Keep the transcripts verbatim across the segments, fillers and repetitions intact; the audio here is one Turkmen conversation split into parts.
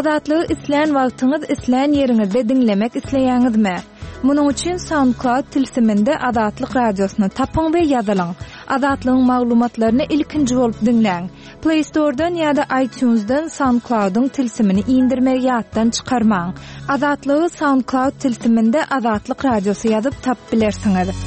Azatlygy islän wagtyňyz islän ýeriňizde diňlemek isleýäňizmi? Munuň üçin SoundCloud tilsiminde Azatlyk radiosyny tapyň we ýazylyň. Azatlygyň maglumatlaryny ilkinji bolup diňläň. Play Store'dan ýa-da iTunes'dan SoundCloud'yň tilsimini indirmegi ýatdan çykarmaň. Azatlygy SoundCloud tilsiminde Azatlyk radiosy ýazyp tapyp bilersiňiz.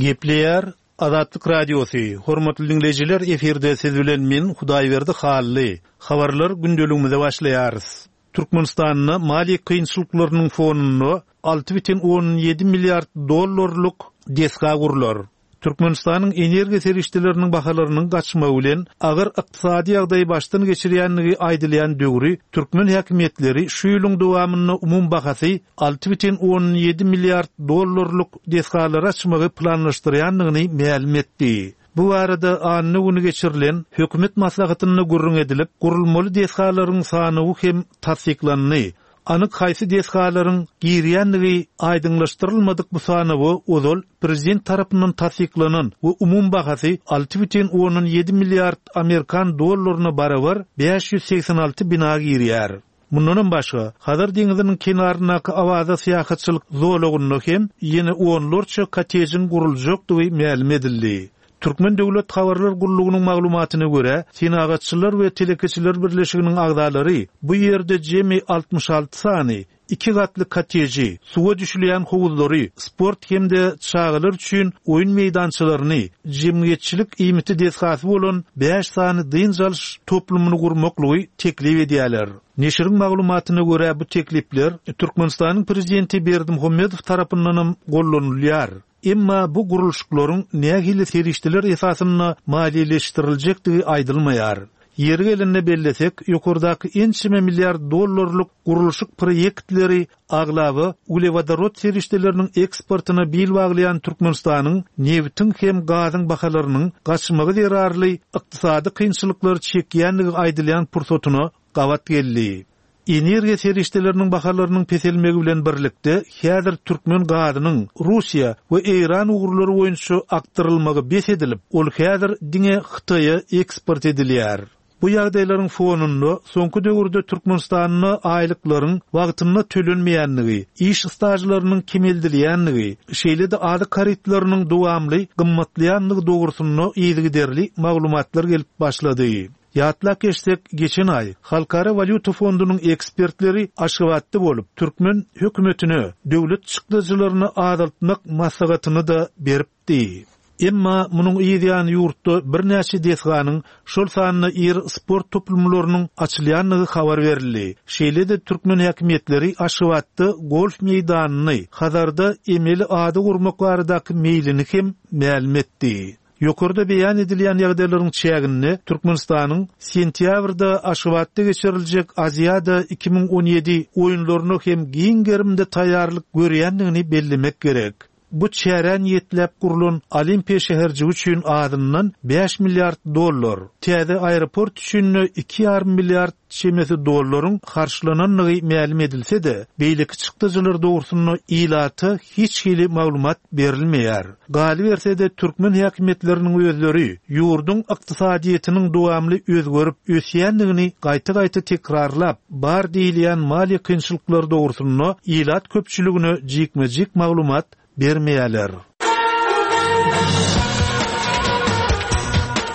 Gepleýär Azatlyk radiosy. Hormatly dinleýjiler, efirde siz bilen men Hudaýberdi Hally. Habarlar gündeligimize başlaýarys. Türkmenistanda maliýe kynçylyklarynyň fonunda alty bütin on ýedi milliard dollarlyk desga gurlar. Türkmenistanyň energiýa serişdeleriniň bahalarynyň gaçmagy bilen agyr ykdysady ýagdaýy başdan geçirýänligi aýdylýan döwri türkmen häkimiýetleri şu ýylyň dowamynda umum bahasy alty bütin on ýedi milliard dollarlyk desgalary açmagy planlaşdyrýandygyny mälim etdi. Bu arada anna güni geçirilen hökümet maslahatynda gürrüň edilip, gurulmaly desgalaryň sanawy hem tassyklandy. Anyk haýsy desgalaryň girýänligi aýdyňlaşdyrylmadyk bu sanawy ozal prezident tarapyndan tassyklanan we umum bahasy alty bütin on ýedi milliard Amerikan dollaryna barabar bäş ýüz segsen alty bina girýär. Mundanam başga, Hazar deňiziniň kenaryndaky Awaza syýahatçylyk zolagynda hem ýene onlarça kotejiň guruljakdygy mälim edildi. Türkmen Döwlet Habarlar Gullugynyň maglumatyna görä, Senagatçylar we Telekeçiler Birleşiginiň agzalary bu ýerde jemi altmyş alty sany iki gatly koteji, suwa düşülýän howuzlary, sport hem-de çagalar üçin oýun meýdançalaryny, jemgyýetçilik iýmiti desgasy bolan bäş sany dynç alyş toplumyny gurmaklygy teklip edýärler. Neşiriň maglumatyna görä bu teklipler Türkmenistanyň prezidenti Berdimuhamedow tarapyndan gollanylýar. Emma bu gurluşyklaryň nähili serişdeler esasynda maliýeleşdiriljekdigi aýdylmaýar. Ýeri gelende bellesek, ýokardaky ençeme milliard dollarlyk gurluşyk proýektleri aglaba uglewodorod serişdeleriniň eksportyna bil baglaýan Türkmenistanyň nebitiň hem gazyň bahalarynyň gaçmagy zerarly ykdysady kynçylyklar çekýänligi aýdylýan pursatyna gabat geldi. Energiýa serişdeleriniň bahalarynyň peselmegi bilen birlikde häzir türkmen gazynyň Russiýa we Eýran ugurlary boýunça akdyrylmagy bes edilip, ol häzir diňe Hytaýa eksport edilýär. Bu ýagdaýlaryň fonunda soňky döwürde Türkmenistanda aýlyklaryň wagtynda tölenmeýänligi, iş stajlarynyň kemeldilýänligi, şeýle-de azyk harytlarynyň dowamly gymmatlaýanlygy dogrusynda yzygiderli maglumatlar gelip başlady. Ýatlap geçsek, geçen aý Halkara Walýuta fondunyň ekspertleri Aşgabatda bolup, türkmen hökümetine döwlet çykdajylaryny azaltmak maslahatyny da beripdi. Emma munuň ýan ýurtda birnäçe desganyň, şol sanda iri sport toplumlarynyň açylýanlygy habar berildi. Şeýle-de türkmen häkimiýetleri Aşgabatda golf meýdanyny, Hazarda emeli ada gurmak baradaky meýlini hem mälim etdi. Ýokarda beýan edilýän ýagdaýlaryň çäginde Türkmenistanyň sentýabrda Aşgabatda geçiriljek Aziada iki müň on ýedi oýunlaryna hem giň gerimde taýýarlyk görýändigini bellemek gerek. Bu çärä niýetläp gurlan Olimpiýa şäherjigi üçin azyndan bäş milliard dollar, täze aeroport üçin iki ýarym milliard çemesi dollaryň harçlananlygy mälim edilse-de, beýleki çykdajylar dogrusynda ilata hiç hili maglumat berilmeýär. Galyberse-de türkmen häkimiýetleriniň özleri ýurduň ykdysadyýetiniň dowamly özgerip ösýändigini gaýta-gaýta tekrarlap, bar diýilýän maliýe kynçylyklary dogrusynda ilat köpçüligine jikme-jik maglumat bermeýärler.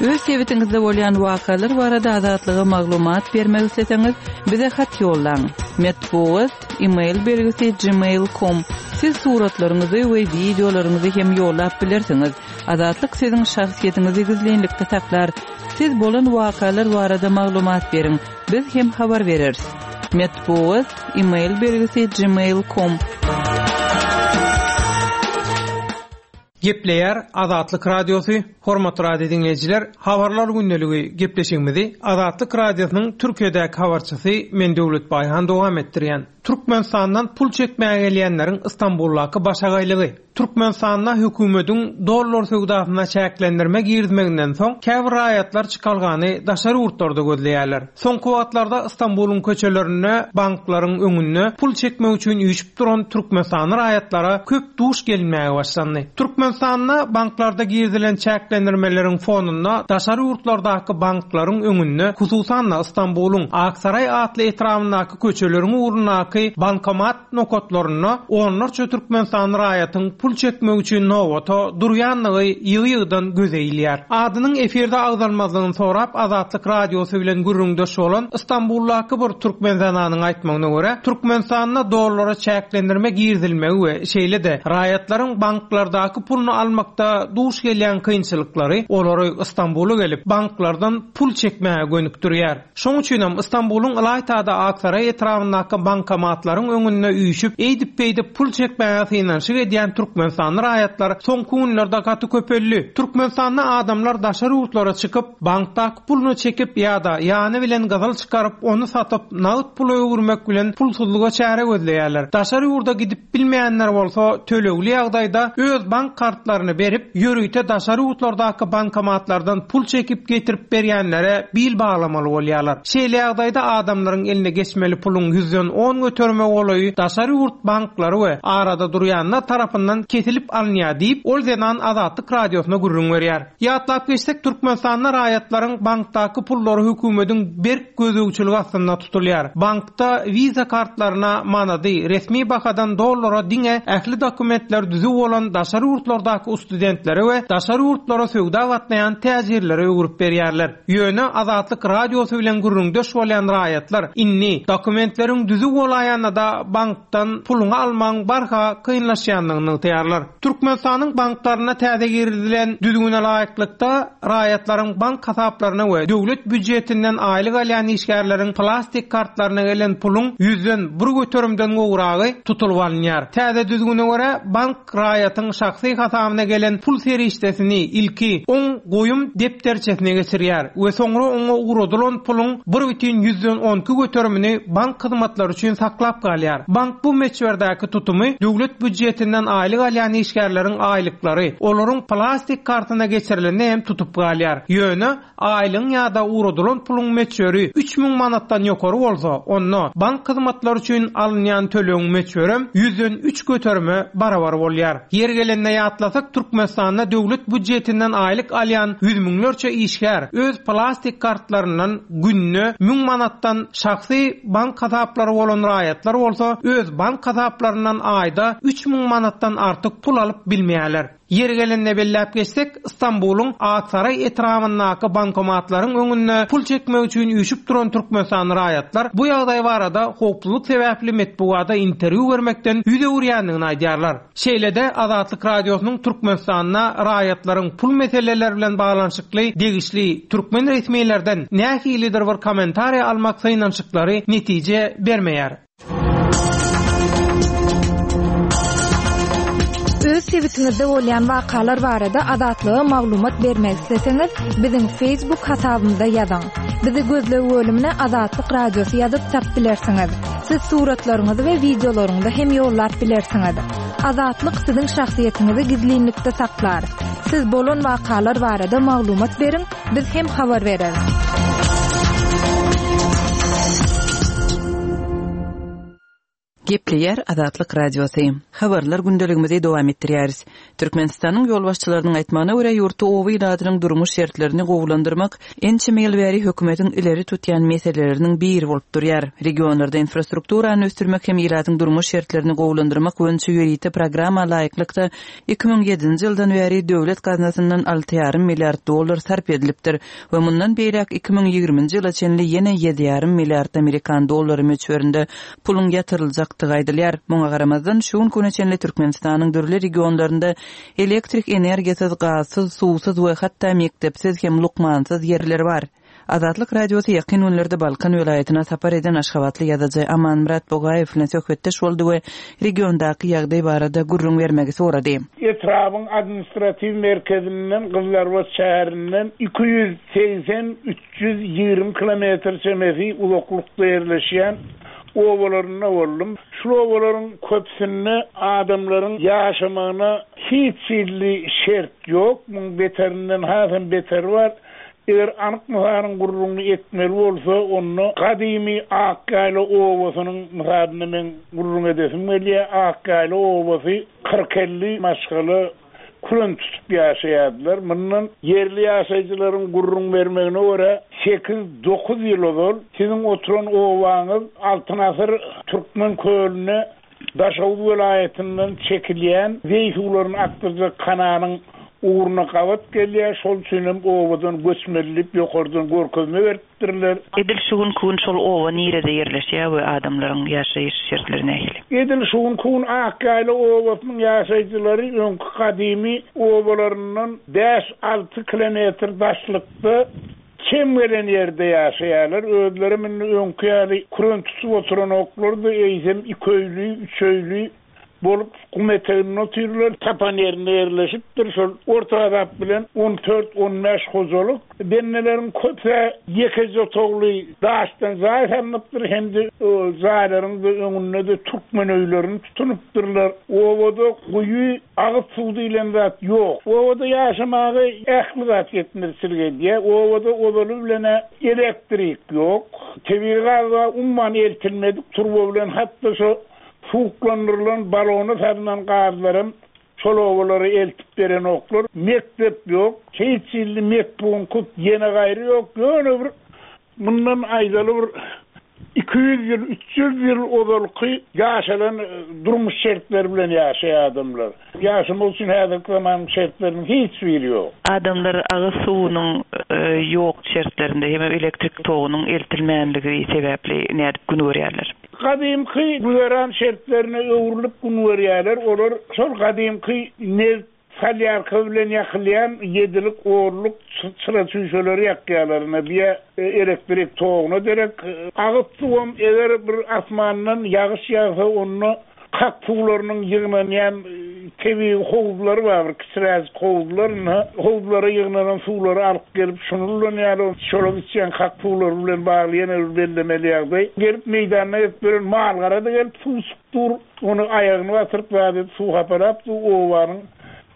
Öz sebitiňizde bolýan wakalar barada azatlyga maglumat bermek isleseňiz, bize hat ýollaň. Metbugat, e-mail belgisi gmail nokta com. Siz suratlaryňyzy we wideolaryňyzy hem ýollap bilersiňiz. Azatlyk siziň şahsyýetiňizi gizlinlikde saklar. Siz bolan wakalar barada maglumat beriň. Biz hem habar bereris. Metbugat, e-mail belgisi gmail nokta com. Gepleýär Azatlyk Radiosy, hormatly radio dinleýjiler, habarlar gündeligi gepleşigimizi Azatlyk Radiosynyň Türkiýedäki habarçysy men Döwlet Baýhan dowam etdirýän. Türkmenistandan pul çekmäge gelýänleriň Istanbuldaky başagaýlygy. Türkmenistanda hökümetiň dollar söwdasyna çäklendirme girizmeginden soň käbir raýatlar çykalgany daşary ýurtlarda gözleýärler. Soňky wagtlarda Istanbulyň köçelerinde banklaryň öňünde pul çekmek üçin üýşüp duran Türkmenistanly raýatlara köp duş gelinmäge başlandy. Türkmenistanda banklarda girizilen çäklendirmeleriň fonunda daşary ýurtlardaky banklaryň öňünde, hususan-da Istanbulyň Aksaray atly etrabyndaky köçeleriň ugrundaky bankomat nokatlarynda onlarça Türkmenistanly raýatyň pul çekmek üçin nobata durýanlygy ýygy-ýygydan göze ilýär. Adynyň efirde agzalmazlygyny sorap Azatlyk Radiosy bilen gürrüňdeş bolan Istanbuldaky bir türkmen zenanyň aýtmagyna görä, Türkmenistanda dollara çäklendirme girizilmegi we şeýle-de raýatlaryň banklardaky puluny almakda duş gelýän kynçylyklary olary Istanbula gelip banklardan pul çekmäge gönükdirýär. Şoň üçin hem Istanbulyň Ylaýtada Aksaray etrabyndaky bankomatlaryň öňünde üýşüp, eýdip-beýdip pul çekmäge synanyşyk edýän Türkmenistanly raýatlar soňky günlerde gaty köpeldi. Türkmenistanda adamlar daşary ýurtlara çykyp, bankdaky puluny çekip ýa-da ýany bilen gyzyl çykaryp, ony satyp, nagt pula öwürmek bilen pulsuzlyga çäre gözleýärler. Daşary ýurda gidip bilmeýänler bolsa tölegli ýagdaýda öz bank kartlaryny berip, ýörite daşary ýurtlardaky bankomatlardan pul çekip getirip berýänlere bil baglamaly bolýarlar. Şeýle ýagdaýda adamlaryň eline geçmeli puluň ýüzden on göterme golaýy daşary ýurt banklary we arada durýanlar tarapyndan kesilip alynýar diýip, ol zenan Azatlyk Radiosyna gürrüň berýär. Ýatlap geçsek, Türkmenistanda raýatlaryň bankdaky pullary hökümetiň berk gözegçiligi astynda tutulýar. Bankda Visa kartlaryna manady resmi bahadan dollara diňe ähli dokumentler düzüw bolan daşary ýurtlardaky studentlere we daşary ýurtlara söwda gatnaýan täjirlere öwürip berýärler. Ýöne Azatlyk Radiosy bilen gürrüňdeş bolýan raýatlar indi dokumentleriň düzüw bolaýanda da bankdan puluny almagyň barha kynlaşýandygyny nygtaýarlar. Türkmenistanyň banklaryna täze girizilen düzgüne laýyklykda raýatlaryň bank hasaplaryna we döwlet býujetinden aýlyk alýan işgärleriň plastik kartlaryna gelen puluň ýüzden bir göterimden gowragy tutulyp alynýar. Täze düzgüne görä bank raýatyň şahsy hasabyna gelen pul serişdesini ilki on goýum depderçesine geçirýär we soňra oňa ugradylan puluň bir bütin ýüzden on iki göterimini bank hyzmatlary üçin saklap galýar. Bank bu möçberdäki tutumy döwlet býujetinden aýlyk alýan işgärleriň aýlyklary olaryň plastik kartyna geçirilende hem tutup galýar. Ýöne aýlygyň ýa-da ugradylan puluň möçberi üç müň manatdan ýokary bolsa, onda bank hyzmatlary üçin alynýan tölegiň möçberi ýüzden üç göterime barabar bolýar. Ýer gelende ýatlasak, Türkmenistanda döwlet býujetinden aýlyk alýan ýüz müňlerçe işgär öz plastik kartlaryndan günde müň manatdan şahsy bank hasaplary bolan raýatlar bolsa öz bank hasaplaryndan aýda üç müň manatdan artyk pul alyp bilmeýärler. Ýer gelende belläp geçsek, Istanbulyň Aksaray etrabyndaky bankomatlaryň öňünde pul çekmek üçin üýşüp duran Türkmenistanly raýatlar bu ýagdaý barada howpsuzlyk sebäpli metbugata interwýu bermekden ýüz öwürýändigini aýdýarlar. Şeýle-de Azatlyk Radiosynyň Türkmenistanda raýatlaryň pul meseleleri bilen baglanyşykly degişli türkmen resmilerden nähilidir bir kommentariýa almak synanyşyklary netije bermeýär. Öz sebitiňizde bolýan wakalar barada Azatlyga maglumat bermek isleseňiz, biziň Facebook hasabymyzda ýazyň. Bizi gözleg bölümine Azatlyk Radiosy ýazyp tap bilersiňiz. Siz suratlaryňyzy we wideolaryňyzy hem ýollap bilersiňiz. Azatlyk siziň şahsyýetiňizi gizlinlikde saklar. Siz bolan wakalar barada maglumat beriň, biz hem habar bereris. Gepleýär Azatlyk Radiosy. Habarlar gündeligimizi dowam etdirýäris. Türkmenistanyň ýolbaşçylarynyň aýtmagyna görä ýurtda oba ilatynyň durmuş şertlerini gowulandyrmak ençeme ýyl bäri hökümetiň ileri tutýan meseleleriniň biri bolup durýar. Regionlarda infrastrukturany ösdürmek hem ilatyň durmuş şertlerini gowulandyrmak boýunça ýörite programma laýyklykda iki müň ýedinji ýyldan bäri döwlet gaznasyndan alty ýarym milliard dollar sarp edilipdir we mundan beýläk iki müň ýigriminji ýyla çenli ýene ýedi ýarym milliard amerikan dollary möçberinde puluň ýatyryljakdygy aýdylýar. Muňa garamazdan şu gün güne çenli Türkmenistanyň dürli regionlarynda elektrik energiýasyz, gazsyz, suwsuz we hatda mektepsiz hem lukmansyz ýerler bar. Azatlyk Radiosy ýakyn günlerde Balkan welaýatyna sapar eden Aşgabatly ýazyjy Amanmyrat Bogaýew bilen söhbetdeş boldy we regiondaky ýagdaý barada gürrüň bermegi sorady. Etrabın administrativ merkezinden Gyzlarbat şäherinden iki ýüz segsen üç ýüz ýigrimi kilometr çemesi uzaklykda ýerleşýän obalarynda boldum. Şul obalaryň köpüsinde adamlaryň ýaşamagyna hiç hili şert ýok. Muň beterinden hasam beteri bar. Eger anyk mysalyň gürrüňini etmeli bolsa, onda gadymy Akýaýla obasynyň mysalyny men gürrüň edesim gelýär. Akýaýla obasy kyrk elli maşgala küren tutup ýaşaýardylar. Mundan ýerli ýaşaýjylaryň gürrüň bermegine görä sekiz dokuz ýyl ozal siziň oturan obaňyz Altyn asyr Türkmen kölüne Daşoguz welaýatyndan çekilýän zeý suwlaryny akdyrjak kanalyň ugruna gabat gelýär. Şol üçin hem obadan göçmeli diýip ýokardan görkezme beripdirler. Edil şu günki gün şol oba nirede ýerleşýär we adamlaryň ýaşaýyş şertleri nähili? Edil şu günki gün Akýaýla obasynyň ýaşaýjylary öňki gadymy obalaryndan bäş alty kilometr daşlykda çem gelen ýerde ýaşaýarlar. Özleri indi öňki ýaly küren tutup oturanoklar-da, eýsem iki öýli, üç öýli bolup gum eteginde otyrlar. Tapan ýerinde ýerleşipdir. Şol orta azap bilen on dört on bäş hojalyk benneleriň köpüsi ýekeje otagly daşdan jaý salnypdyr, hem-de jaýlaryň da öňünde-de türkmen öýlerini tutunypdyrlar. Obada guýy, agyz suw diýlen zat ýok. Obada ýaşamagy ähli zat ýetmezçilik edýär. Obada ozaly bilen elektrik ýok. Tebigy gaz bar, umuman eltilmedik turba bilen hatda şo suwuklandyrylan balona salynan gazlarym şol obalara eltip berenoklar. Mekdep ýok, hiç hili metbunkut ýene gaýry ýok. Ýöne bir mundan aýdaly bir iki ýüz ýyl, üç ýüz ýyl ozalky ýaşalan durmuş şertleri bilen ýaşaýan adamlar. Ýaşamak üçin häzirki zamanyň şertleriniň hiç biri ýok. Adamlar agyz suwunyň, e, ýok şertlerinde hem elektrik togunyň eltilmänligi sebäpli nädip gün görýärler? Gadymky güzeran şertlerine öwrülip gün görýärler. Olar şol gadymky neft salýarka bilen ýakylýan ýedilik, onluk çyra çüýşeleri ýakýarlar. Ine, bir elektrik toguna derek agyz suwam eger bir asmandan ýagyş ýagsa, onda kak suwlarynyň ýygnanýan tebigy howuzlary bar, bir kiçiräk howuzlar, ine, howuzlara ýygnanan suwlary alyp gelip şuny ulanýarlar. Şolar içýän kak suwlary bilen bagly ýene bir bellemeli ýagdaý. Gelip meýdanda gelip gören malgara da gelip suw içip dur, ony aýagyny batyryp zat edip suw hapalap dur, obanyň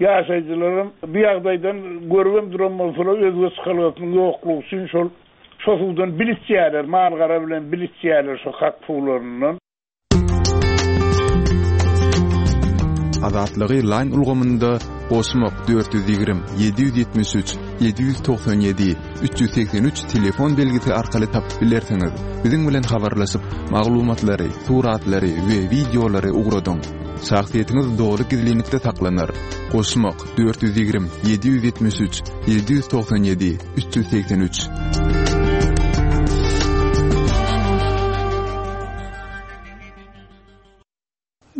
ýaşaýjylaryň bu ýagdaýdan görüp duran bolsalar özge çykalgasynyň ýoklugy üçin şol şo suwdan bil içýärler, malgara bilen bil içýärler şo kak suwlaryndan. Azatlygy line ulgamynda goşmak dört ýüz ýigrimi, ýedi ýüz ýetmiş üç, ýedi ýüz togsan ýedi, üç ýüz segsen üç telefon belgisi arkaly tapyp bilersiňiz. Biziň bilen habarlaşyp, maglumatlary, suratlary we wideolary ugradyň. Şahsyýetiňiz doly gizlinlikde saklanar. Goşmak dört ýüz ýigrimi, ýedi ýüz ýetmiş üç, ýedi ýüz togsan ýedi, üç ýüz segsen üç.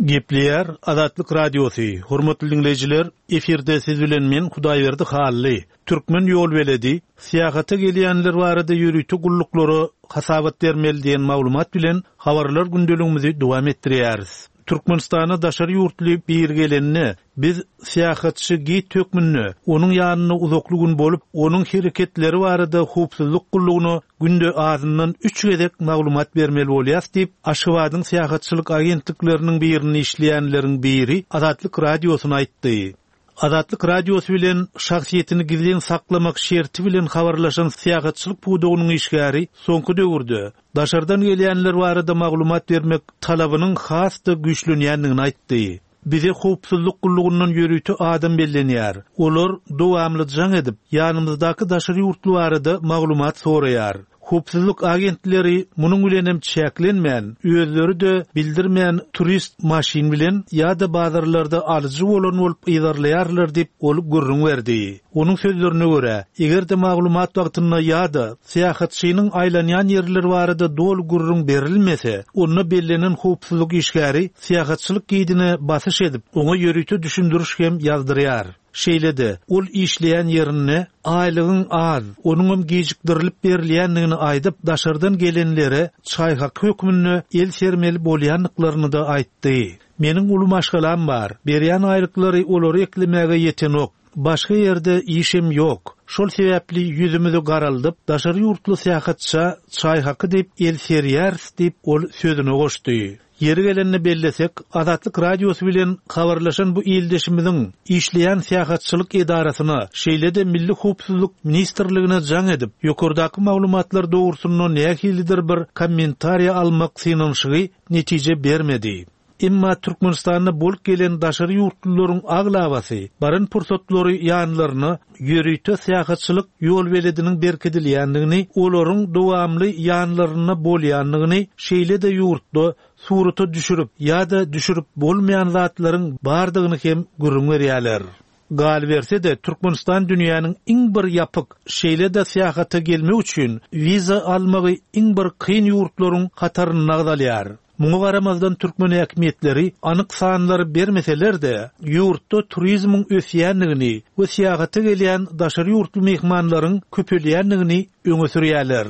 Gepleýär Azatlyk Radiosy. Hormatly dinleýjiler, efirde siz bilen men Hudaýberdi Hally. Türkmen ýol beledi syýahata gelýänler barada ýörite gulluklara hasabat bermeli diýen maglumat bilen habarlar gündeligimizi dowam etdirýäris. Türkmenistana daşary ýurtly bir gelende biz syýahatçy git hökmünde onuň ýanynda uzakly gün bolup, onuň hereketleri barada howpsuzlyk gullugyna günde azyndan üç gezek maglumat bermeli bolýar diýip, Aşgabadyň syýahatçylyk agentlikleriniň birini işleýänleriň biri Azatlyk Radiosyna aýtdy. Azatlyk Radiosy bilen şahsyýetini gizlin saklamak şerti bilen habarlaşan syýahatçylyk pudagynyň işgäri soňky döwürde daşardan gelýänler barada maglumat bermek talabynyň has-da güýçlenýändigini aýtdy. Bize howpsuzlyk gullugyndan ýörite adam bellenýär. Olar dowamly jaň edip, ýanymyzdaky daşary ýurtly barada maglumat soraýar. Howpsuzlyk agentleri munuň bilen hem çäklenmän, özleri-de bildirmän turist maşyn bilen ýa-da bazarlarda alyjy bolan bolup yzarlaýarlar diýip ol gürrüň berdi. Onuň sözlerine görä, eger-de maglumat wagtynda ýa-da syýahatçynyň aýlanýan ýerleri barada doly gürrüň berilmese, onda bellenen howpsuzlyk işgäri syýahatçylyk gidine basyş edip, oňa ýörite düşündiriş hem ýazdyrýar. Şeýle-de, ol işleýän ýerinde aýlygyň az, onuňam gijikdirilip berilýändigini aýdyp, daşardan gelenlere çaý haky hökmünde el sermeli bolýandyklaryny-da aýtdy. Meniň uly maşgalam bar. Berýän aýlyklary olary eklemäge ýetenok. Başga ýerde işim ýok. Şol sebäpli ýüzümizi garaldyp, daşary ýurtly syýahatça çaý haky diýip el serýäris diýip ol sözüne goşdy. Ýeri gelende bellesek, Azatlyk Radiosy bilen habarlaşan bu ildeşimiziň işleýän syýahatçylyk edarasyna, şeýle-de Milli Howpsuzlyk Ministrligine jaň edip, ýokardaky maglumatlar dogrusynda nähilidir bir kommentariýa almak synanyşygy netije bermedi. Emma Türkmenistanda bolup gelen daşary ýurtlularyň aglabasy baran pursatlary ýanlaryna ýörite syýahatçylyk ýol belediniň berkidilýändigini, olaryň dowamly ýanlaryna bolýandygyny, şeýle-de ýurtda surata düşürip ýa-da düşürip bolmaýan zatlaryň bardygyny hem gürrüň berýärler. Galyberse-de Türkmenistan dünýäniň iň bir ýapyk, şeýle-de syýahata gelmek üçin wiza almagy iň bir kyn ýurtlaryň hatarynda agzalýar. Muňa garamazdan türkmen häkimiýetleri anyk sanlary bermeseler-de, ýurtda turizmiň ösýändigini we syýahata gelýän daşary ýurtly myhmanlaryň köpelýändigini öňe sürýärler.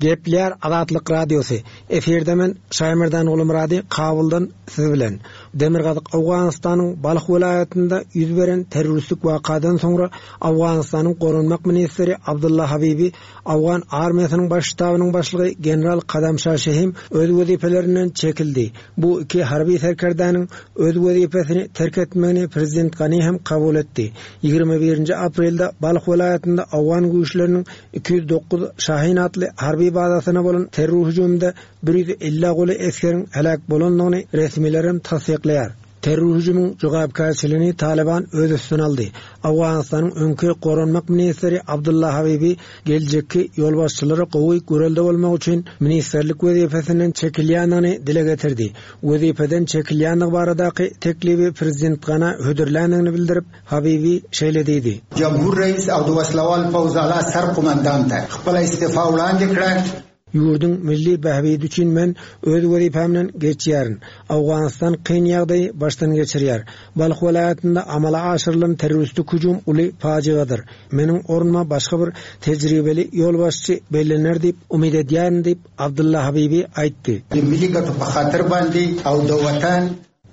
Gepler Azatlyk Radiosy. Efirde men Şaýmerdan Gulumyrady Kabuldan siz bilen. Demirgazyk Owganystanyň Balh welaýatynda ýüz beren terroristik wakadan soňra Owganystanyň Goranmak ministri Abdullah Habibi Owgan armiýasynyň baş ştabynyň başlygy general Kadamşah Şehim öz wezipelerinden çekildi. Bu iki harby serkerdäniň öz wezipesini terk etmegini prezident Gani hem kabul etdi. Ýigrimi birinji aprelde Balh welaýatynda Owgan güýçleriniň iki ýüz dokuz Şahin atly harby bazasyna bolan terror hüjüminde bir ýüz elli goly esgeriň helak bolandygyny resmiler hem tassyklaýar. Terror hüjüminiň jogapkärçiligini Taliban öz üstüne aldy. Owganystanyň öňki goranmak ministri Abdullah Habibi geljekki ýolbaşçylary gowy görelde bolmak üçin ministerlik wezipesinden çekilýändigini dile getirdi. Wezipeden çekilýändigi baradaky teklibi prezident Gana hödürländigini bildirip, Habibi şeýle diýdi. Jamhur reis Abduvaslavval Fawzala sarkomandant khpala istifa wlandy kra. Ýurduň milli bähbidi üçin men öz wezipemden geçýärin. Owganystan kyn ýagdaýy başdan geçirýär. Balh welaýatynda amala aşyrylan terroristik hüjüm uly pajygadyr. Meniň ornuma başga bir tejribeli ýolbaşçy bellener diýip umyt edýärin diýip Abdullah Habibi aýtdy. Milli gatu bahatyr bandi aw dawatan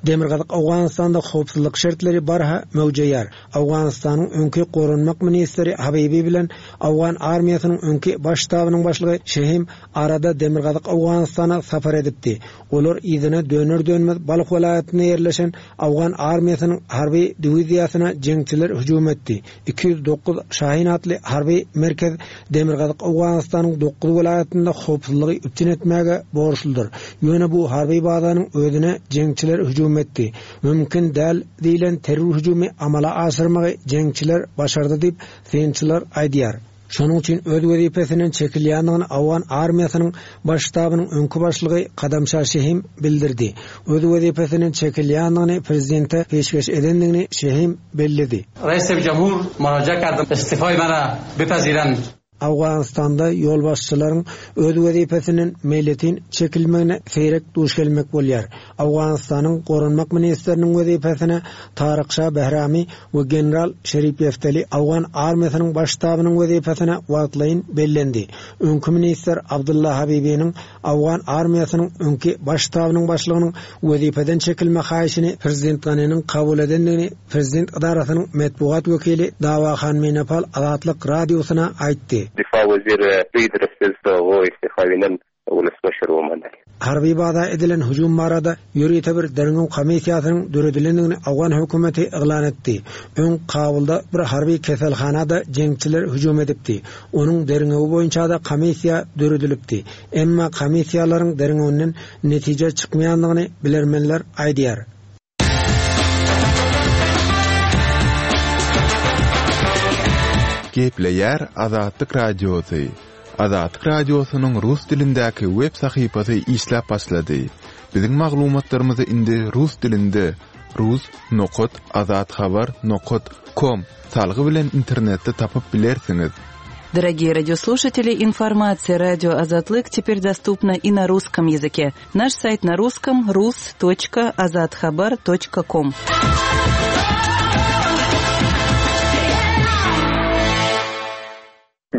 Demirgazyk Owganystanda howpsuzlyk şertleri barha möwjeýär. Owganystanyň öňki goranmak ministri Habibi bilen Owgan armiýasynyň öňki baş ştabynyň başlygy Şehim arada Demirgazyk Owganystana sapar edipdi. Olar yzyna döner dönmez Balh welaýatynda ýerleşen Owgan armiýasynyň harby diwiziýasyna jeňçiler hüjüm etdi. Iki ýüz dokuz Şahin atly harby merkez Demirgazyk Owganystanyň dokuz welaýatynda howpsuzlygy üpjün etmäge borçludyr. Ýöne bu harby bazanyň özüne jeňçiler hüjüm etdi. Mümkin däl diýlen terror hüjümi amala aşyrmagy jeňçiler başardy diýip synçylar aýdýar. Şonuň üçin öz wezipesinden çekilýändigini Owgan armiýasynyň baş ştabynyň öňki başlygy Kadamşah Şehim bildirdi. Öz wezipesinden çekilýändigini prezidente peşgeş edendigini Şehim belledi. Reis Cumhur müracaat kardym istifayı bana bipaziren. Owganystanda ýolbaşçylaryň öz wezipesinden meýletin çekilmegine seýrek duş gelmek bolýar. Owganystanyň goranmak ministriniň wezipesine Taryk Şah Behrami we general Şerif Yefteli Owgan armiýasynyň baş ştabynyň wezipesine wagtlaýyn bellendi. Öňki ministr Abdullah Habibiniň Owgan armiýasynyň öňki baş ştabynyň başlygynyň wezipeden çekilme haýyşyny prezident Ganiniň kabul edendigini prezident edarasynyň metbugat wekili Dawahan Menepal Azatlyk radiosyna aýtdy. Difa wezir Pidr istifawinden ulusbaşyr bolmaly. Harby baza edilen hüjüm barada ýörite bir derňew komissiýasynyň döredilendigini Owgan hökümeti yglan etdi. Öň Kabulda bir harby keselhanada jeňçiler hüjüm edipdi. Onuň derňewi boýunça da komissiýa döredilipdi. Emma komissiýalaryň derňewinden netije çykmaýandygyny bilermenler aýdýar. Gepleýär Azatlyk Radiosy. Azatlyk Radiosynyň rus dilindäki web sahypasy işläp başlady. Biziň maglumatlarymyzy indi rus dilinde rus nokat azathabar nokat com salgy bilen internetde tapyp bilersiňiz. Дорогие радиослушатели, информация радио Азатлык теперь доступна и на русском языке. Наш сайт на русском rus.azathabar.com.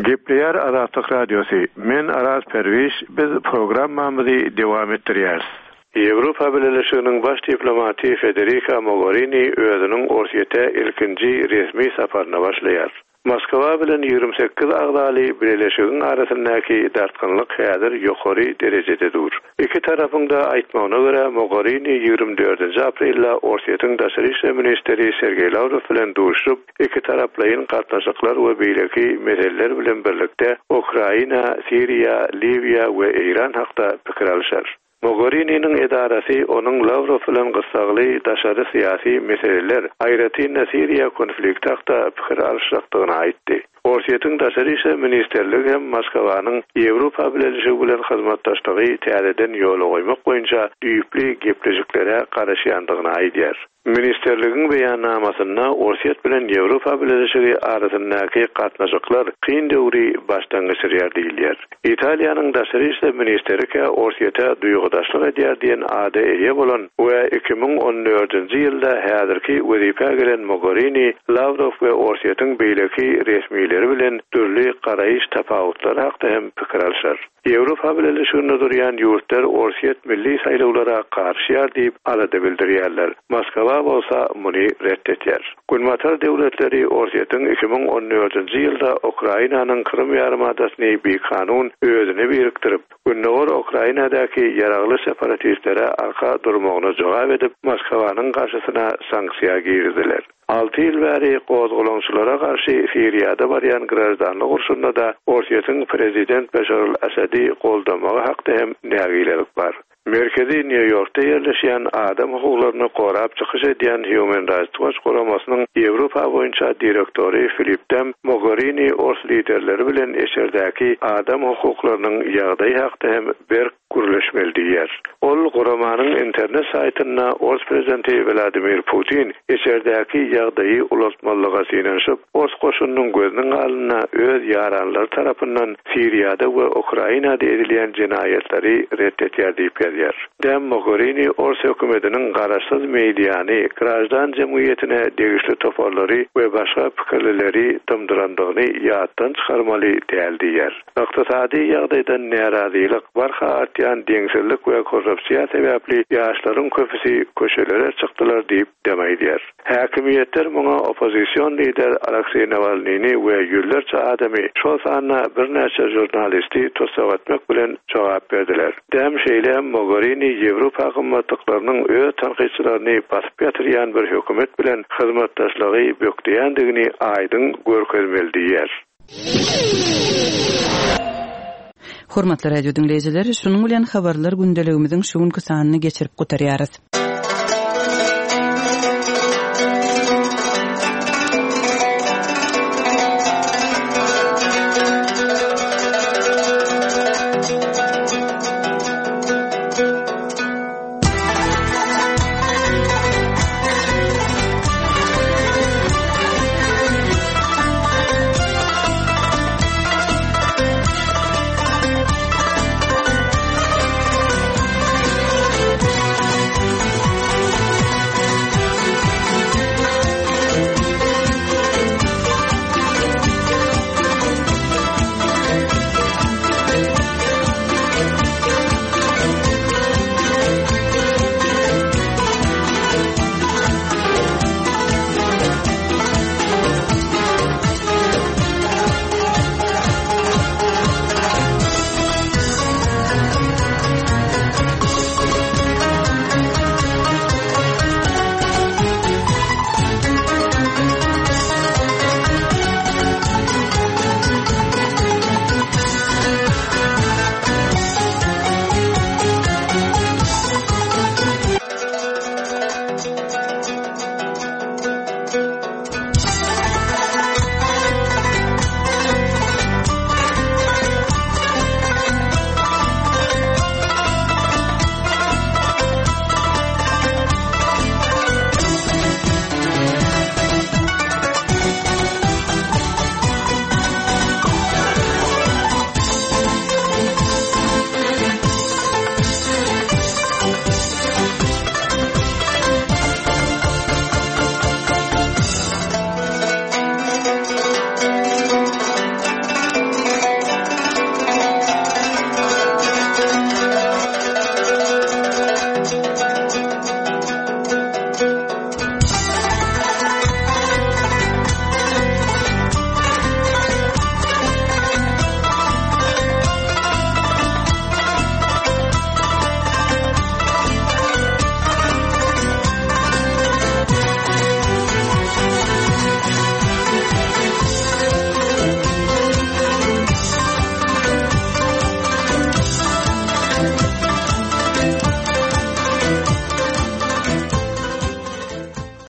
Gepleýär Azatlyk Radiosy. Men Araz Perwiş, biz programmamyzy dowam etdirýäris. Ýewropa Bileleşiginiň baş diplomaty Federica Mogherini özüniň Orsýete ilkinji resmi saparyna başlaýar. Moskwa bilen ýigrimi sekiz agzaly Bileleşigiň arasyndaky dartgynlyk häzir ýokary derejede dur. Iki tarapyň da aýtmagyna görä Mogherini ýigrimi dördünji aprelde Orsýetiň daşary işler ministri Sergeý Lawrow bilen duşup, iki taraplaýyn gatnaşyklar we beýleki meseleler bilen birlikde Ukraina, Siriýa, Liwiýa we Eýran hakda pikir alşar. Mogherininiň edarasy onuň Lawrow bilen gyssagly daşary syýasy meseleler, aýratyn Siriýa konflikti hakda pikir alşakdygyny aýtdy. Orsýetiň daşary işler ministerligi hem Moskwanyň Ýewropa Bileleşigi bilen hyzmatdaşlygy täzeden ýola goýmak boýunça düýpli gepleşiklere garaşýandygyny aýdýar. Ministerligiň beýannamasynda Orsýet bilen Ýewropa Bileleşigi arasyndaky gatnaşyklar kyn döwri başdan geçirýär diýilýär. Italiýanyň daşary işler ministrike Orsýete duýgudaşlyk edýär diýen ada eýe bolan we iki müň on dördünji ýylda häzirki wezipä gelen Mogherini Lawrow we Orsýetiň beýleki resmileri bilen dürli garaýyş tapawutlary hakda hem pikir alşar. Ýewropa Bileleşiginde durýan ýurtlar Orsýet milli saýlawlara garşyýar diýip alada bildirýärler. Moskwa bolsa muny ret etýär. Günbatar döwletleri Orsýetiň iki müň on dördünji ýylda Ukrainanyň Krym ýarymadasyny bikanun özüne birikdirip, Gündogar Ukrainadaky ýaragly separatistlere arka durmagyna jogap edip, Moskwanyň garşysyna sanksiýa girdiler. Alty ýyl bäri gozgalaňçylara garşy Siriýada barýan graždanlyk urşunda da Orsýetiň prezident Beşar al-Asadi goldamagy hakda hem nägilelik bar. Merkezi Nýu-Ýorkda ýerleşýän adam hukuklaryny gorap çykyş edýän Human Rights Watch guramasynyň Ýewropa boýunça direktory Filip Dam Mogherini ors liderleri bilen eşerdäki adam hukuklarynyň ýagdaýy hakda hem berk gürleşmeli diýýär. Ol guramanyň internet saýtynda ors prezidenti Wladimir Putin eşerdäki ýagdaýy ulaltmalyga synanyşyp, ors goşunynyň gözüniň alnynda öz ýaranlary tarapyndan Siriýada we Ukrainada edilýän jenaýatlary ret etýär diýip ýazýar. Dam Mogherini ors hökümetiniň garaşsyz mediany, graždan jemgyýetine degişli toparlary we başga pikirlileri dymdyrandygyny ýatdan çykarmaly däl diýýär. Ykdysady ýagdaýdan närazylyk, barha artýan deňsizlik we korrupsiýa sebäpli ýaşlaryň köpüsi köşelere çykdylar diýip dem aýdýar. Häkimiýetler muňa oppozision lider Alekseý Nawalnyny we ýüzlerçe adamy, şol sanda birnäçe žurnalisti tussag etmek bilen jogap berdiler. Dem şeýle hem Mogherini Ýewropa gymmatlyklarynyň öz tankytçylaryny basyp ýatyrýan bir hökümet bilen hyzmatdaşlygy bökdeýändigini aýdyň görkezmeli diýýär. Hormatly radio diňleýjiler, şunuň bilen habarlar gündeligimiziň şu günki sanyny geçirip gutarýarys.